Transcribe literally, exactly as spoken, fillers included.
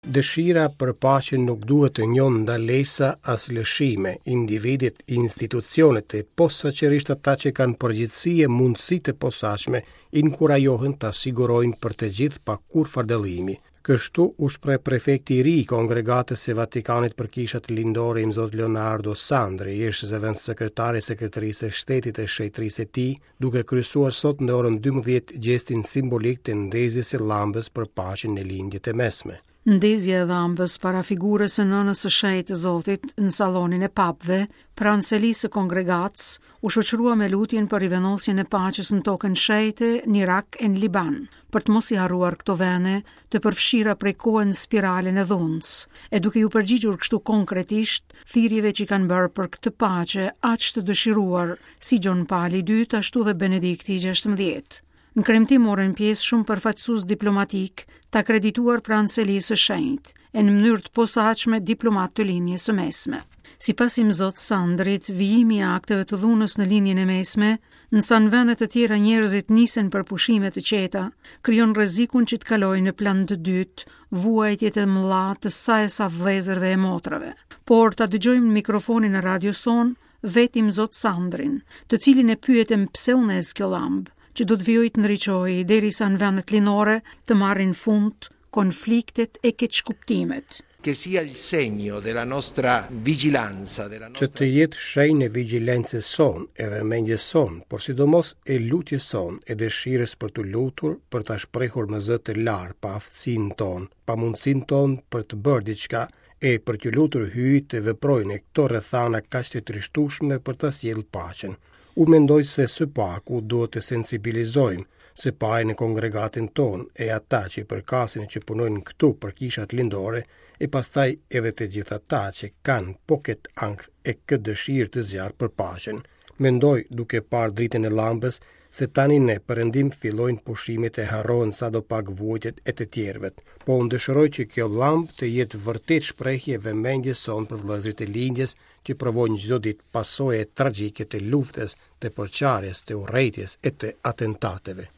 Dëshira për paqe nuk duhet të njohë ndalesa as lëshime, individët, institucionet e posaçërisht ata që kanë përgjegjësi e mundësi të posaçme, inkurajohen ta sigurojnë për të gjithë pa kurrfarë dallimi. Kështu u shpreh prefekti i ri i Kongregatës së Vatikanit për Kishat Lindore, Imzot Leonardo Sandri, ish zëvendëssekretar i Sekretarisë së Shtetit të Shenjtërisë së Tij, duke kryesuar sot në orën dymbëdhjetë gjestin simbolik të ndezjes së llambës për paqen në Lindje të Mesme. Ndezja e llambës para figurës së nënës së shenjtë të Zotit në sallonin e papëve, pranë selisë së kongregatës, u shoqërua me lutjen për rivendosjen e paqes në tokën shenjte në Irak e në Liban, për të mos i harruar këto vende të përfshira prej kohë në spiralen e dhunës, e duke ju përgjigjur kështu konkretisht thirrjeve që kanë bërë për këtë paqe aq të dëshiruar si Gjon Pali i dytë ashtu dhe Benedikti i gjashtëmbëdhjetë. Në kremtim morën pjesë shumë përfaqësues diplomatik të akredituar pranë selisë së shenjtë, e në mënyrë të posaçme diplomat të Lindjes së Mesme. Sipas Imzot Sandrit, vijimi i akteve të dhunës në Lindjen e Mesme, në sa në vende të tjera njerëzit nisen për pushime të qeta, krijon rrezikun që të kalojnë në plan të dytë vuajtjet e mëdha të sa e sa vëllezërve e motrave. Por ta dëgjojmë në mikrofonin e radios sonë vetë Imzot Sandrin, të cilin e pyetëm pse u ndez kjo llambë, që do të vijojë të ndriçojë derisa në vendet lindore të marrin fund konfliktet e keqkuptimet. Che sia il segno della nostra vigilanza, della Që nostra të jetë shenjë e vigjilencës sonë, e vëmendjes sonë, por sidomos e lutjes sonë, e dëshirës për t'u lutur, për ta shprehur me zë të lartë paaftësinë tonë, pamundësinë tonë për të bërë diçka, e për t'u lutur Hyjit të veprojë në këto rrethana kaq të trishtueshme për ta sjellë paqen. Unë mendoj se së paku duhet të sensibilizojmë, së pari në kongregatin tonë e ata që i përkasin e që punojnë këtu për kishat lindore, e pastaj edhe të gjithë ata që kanë po këtë ankth e këtë dëshirë të zjarr për paqen. Mendoj, duke parë dritën e llambës, se tani në perëndim fillojnë pushimet e harrohen sado pak vuajtjet e të tjerëve. Po unë dëshiroj që kjo llambë të jetë vërtet shprehje e vëmendjes sonë për vëllezërit e lindjes që provojnë çdo ditë pasoje tragjike të luftës, të përçarjes, të urrejtjes e të atentateve.